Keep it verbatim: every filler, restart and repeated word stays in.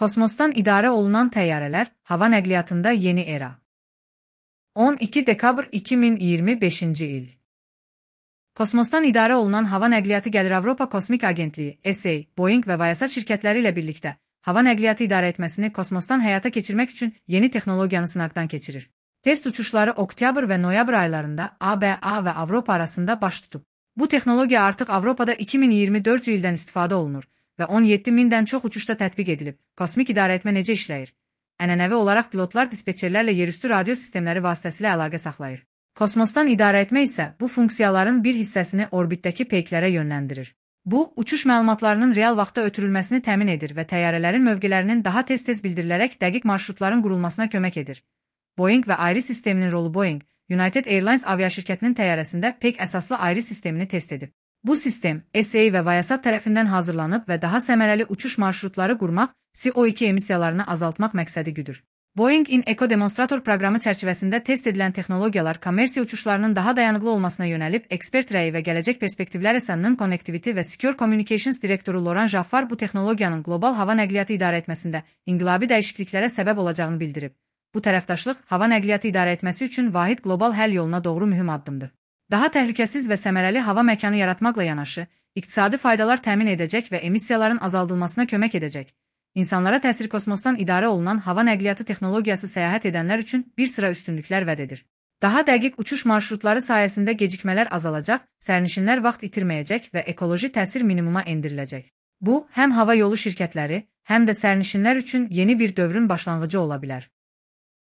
Kosmosdan idarə olunan təyyarələr, hava nəqliyyatında yeni era. on iki dekabr iki min iyirmi beşinci il. Kosmosdan idarə olunan hava nəqliyyatı gəlir Avropa Kosmik Agentliyi, E S A, Boeing və Viasat şirkətləri ilə birlikdə hava nəqliyyatı idarə etməsini kosmosdan həyata keçirmək üçün yeni texnologiyanı sınaqdan keçirir. Test uçuşları oktyabr və noyabr aylarında A B A və Avropa arasında baş tutub. Bu texnologiya artıq Avropada iki min iyirmi dördüncü ildən istifadə olunur və on yeddi mindən çox uçuşda tətbiq edilib. Kosmik idarə etmə necə işləyir? Ənənəvi olaraq pilotlar dispetçerlərlə yerüstü radio sistemləri vasitəsilə əlaqə saxlayır. Kosmosdan idarə etmə isə bu funksiyaların bir hissəsini orbitdəki peyklərə yönləndirir. Bu, uçuş məlumatlarının real vaxtda ötürülməsini təmin edir və təyyarələrin mövqelərinin daha tez-tez bildirilərək dəqiq marşrutların qurulmasına kömək edir. Boeing və ayrı sisteminin rolu Boeing, United Airlines aviaşirkətinin təyyarəsində peyk əsaslı ayrı sistemini test edib. Bu sistem, S A və Viasat tərəfindən hazırlanıb və daha səmərəli uçuş marşrutları qurmaq, C O iki emissiyalarını azaltmaq məqsədi güdür. Boeing in Eco demonstrator proqramı çərçivəsində test edilən texnologiyalar kommersiya uçuşlarının daha dayanıqlı olmasına yönəlib, ekspert rəyi və gələcək perspektivlər əsanının Connectivity və Secure Communications direktoru Laurent Jaffar bu texnologiyanın qlobal hava nəqliyyatı idarə etməsində inqilabi dəyişikliklərə səbəb olacağını bildirib. Bu tərəfdaşlıq, hava nəqliyyatı idarə etməsi üçün vahid qlobal həll yoluna doğru mühüm addımdır. Daha təhlükəsiz və səmərəli hava məkanı yaratmaqla yanaşı, iqtisadi faydalar təmin edəcək və emissiyaların azaldılmasına kömək edəcək. İnsanlara təsir kosmosdan idarə olunan hava nəqliyyatı texnologiyası səyahət edənlər üçün bir sıra üstünlüklər vəd edir. Daha dəqiq uçuş marşrutları sayəsində gecikmələr azalacaq, sərnişinlər vaxt itirməyəcək və ekoloji təsir minimuma endiriləcək. Bu, həm hava yolu şirkətləri, həm də sərnişinlər üçün yeni bir dövrün başlanğıcı ola bilər.